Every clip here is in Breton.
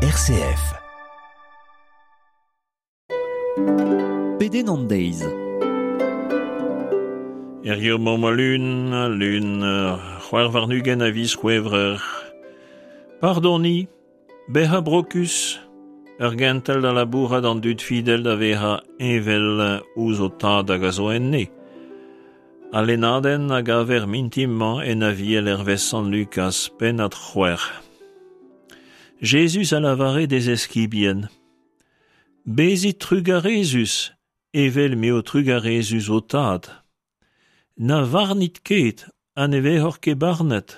RCF. Pedenn an deiz. Hiziv emaomp al lun, al lun 26 a viz C'hwevrer. Pardoniñ, bezañ brokus, ur gentel da labourat an dud fidel da vezañ heñvel ouzh ho tad hag a zo enne. Al lennadenn a gaver mintin-mañ en Aviel hervez Sant Lukaz, pennad 6. Jezuz a lavare d'e zeskibien: Bezit trugarezus evel m'eo trugarezus ho tad. Na varnit ket ha ne vezoc'h ket barnet.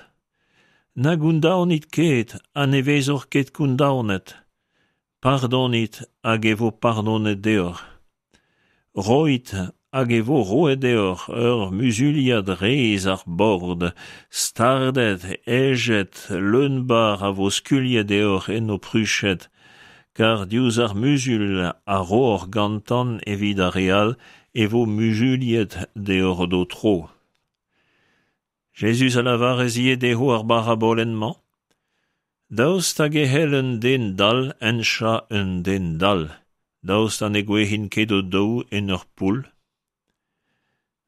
Na gondaonit ket ha ne vezoc'h ket kondaonet. Pardonit hag e vo pardonet deoc'h. Roit hag e vo roet deoc'h ur muzuliad rez ar bord, stardet, hejet, leun-barr a vo skuilhet deoc'h en ho pruched, kar diouzh ar muzul a rooc'h gantan evit ar re all e vo muzuliet deoc'h d'ho tro. Jezuz a lavaras ivez dezho ar barabolenn-mañ: Daoust hag e c'hell un den dall henchañ un den dall? Daoust ha ne gouezhint ket o-daou en ur poull?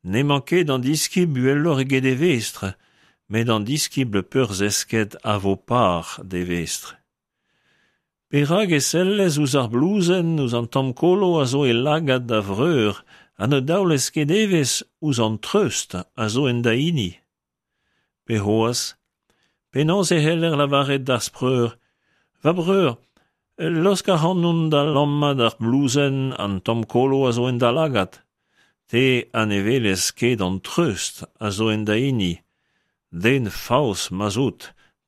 N'emañ ket an diskibl uheloc'h eget e vestr, met an diskibl peurzesket a vo par d'e vestr. Perak e sellez ouzh ar blouzenn, ouzh an tamm kolo a zo e lagad da vreur ha ne daolez ket evezh ouzh an treust a zo en da hini? Pe c'hoazh, penaos e c'heller lavaret d'az preur, Va breur, laosk ac'hanon da lammat ar blouzenn, an tamm kolo a zo en da lagad. Te ha ne welez ket an treust a zo en da hini. Den faos ma'z out,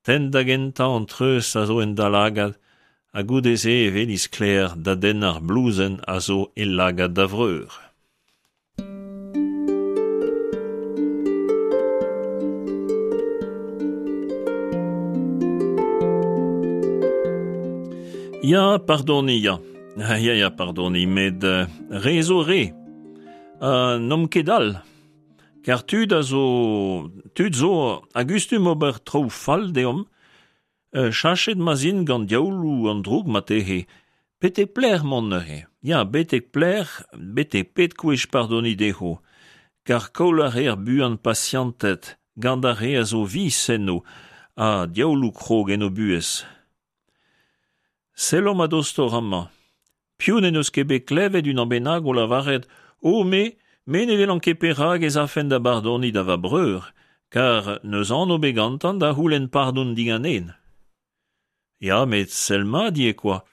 tenn da gentañ an treust a zo en da lagad, ha goude-se e weli sklaer da denn ar blouzenn a zo e lagad da vreur. Ya, pardoniñ, ya. Ya, ya, pardoniñ, met re zo re. Ha n'omp ket dall. Kar tud a zo tud zo a gustum ober traoù fall deomp, Cheñchet ma'z int gant diaouloù an droug marteze. Betek pelec'h mont neuze? Ya, betek pelec'h, betek pet kwech pardoniñ dezho? Kar koll a reer buan pasianted gant ar re a zo vis enno ha diaouloù krog en o buhez. Sellomp a-dostoc'h amañ. Piv n'en deus ket bet klevet unan bennak o lavaret O me, me ne welan ket perak ez afen da bardoniñ da va breur, kar n'eus anv bet gantañ da c'houlenn pardon diganen. Ya, met sell mat ivez kwa.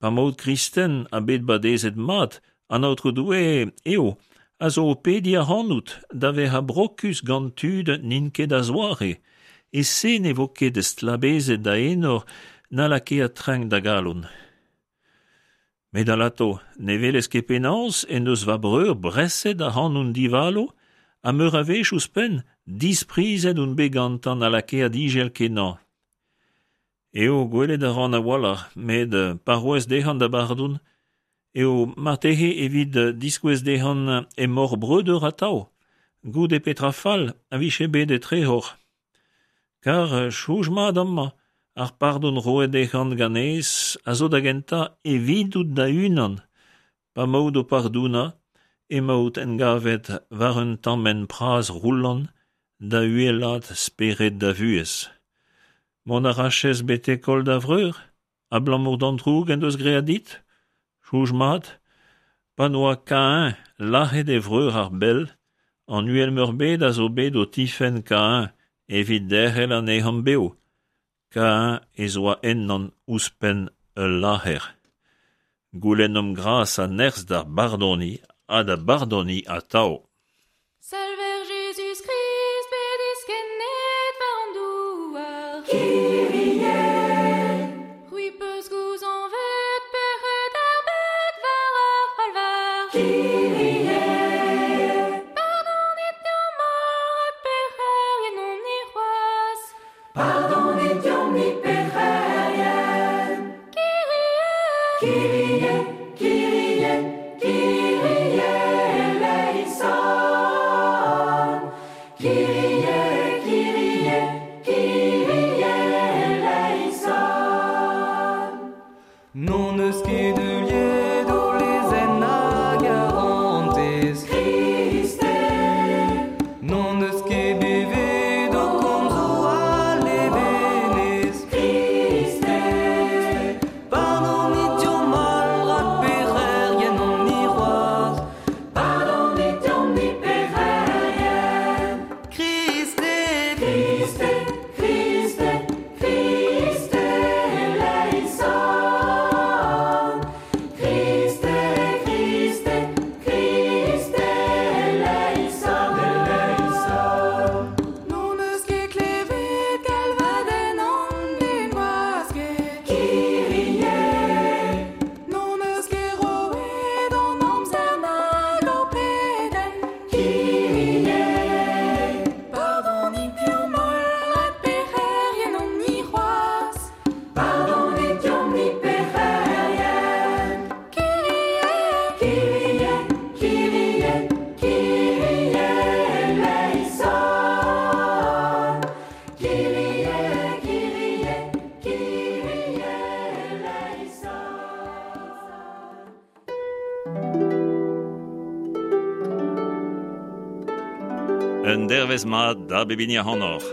Pa 'maout kristen ha bet badezet mat, an Aotrou Doue eo a zo o pediñ ac'hanout da vezañ brokus gant tud n'int ket a-zoare, e-se ne vo ket stlabezet da enor na lakaet trenk da galon. Met alato, ne welez ket penaos en deus va breur breset ac'hanon divalo, ha meur a wech ouzhpenn, disprizet on bet gantañ ha lakaet ijel-kenañ. Eo, gwelet a ran a-walc'h, met pa roez dezhañ da bardon, eo marteze evit diskouez dezhañ emaoc'h breudeur atav, goude petra fall a vije bet etrezoc'h. Kar soñj mat amañ, ar pardon roet dezhañ ganez a zo da gentañ evidout da-unan. Pa 'maout o pardonañ emaout engavet war un tamm hent pras roulant da uhelaat spered da vuhez. Mont a rachez betek koll da vreur abalamour d'an droug en deus graet dit? Soñj mat, pa n'oa Kain lazhet e vreur ar bell, an Uhel-Meurbet a zo bet o tifenn Kain evit derc'hel anezhañ bev. Kain ez oa ennañ ouzhpenn ul lazher. Goulennomp gras ha nerzh da bardoniñ ha da bardoniñ atav. Salver Jezuz-Krist bet diskennet war an douar. C'hwi 'peus gouzañvet pec'hed ar bed war ar c'halvar. Pardonit deomp holl rak pec'herien omp-ni c'hoazh. Pardonit deomp-ni pec'herien. Kyrie! Kyrie, Kyrie, Kyrie eleison. eus ket heuliet ho lezenn a garantez. Kriste. N'hon eus ket bevet ho komzoù a levenez. Kriste. Pardonit deomp holl rak pec'herien omp-ni c'hoazh. Pardonit deomp-ni pec'herien. Kriste. Kriste, Kriste, Kriste eleison. Kriste, Kriste, Kriste eleison, eleison. N'hon eus ket klevet galvadenn an den gwasket. Kyrie. N'hon eus ket roet an amzer nag hor pedenn. Kyrie. Pardonit deomp holl rak pec'herien omp-ni c'hoazh. Pardonit deomp-ni pec'herien. Kyrie, Kyrie, Kyrie, Kyrie eleison. Kyrie, Kyrie, Kyrie eleison. Un dervez mat da bep hini ac'hanoc'h.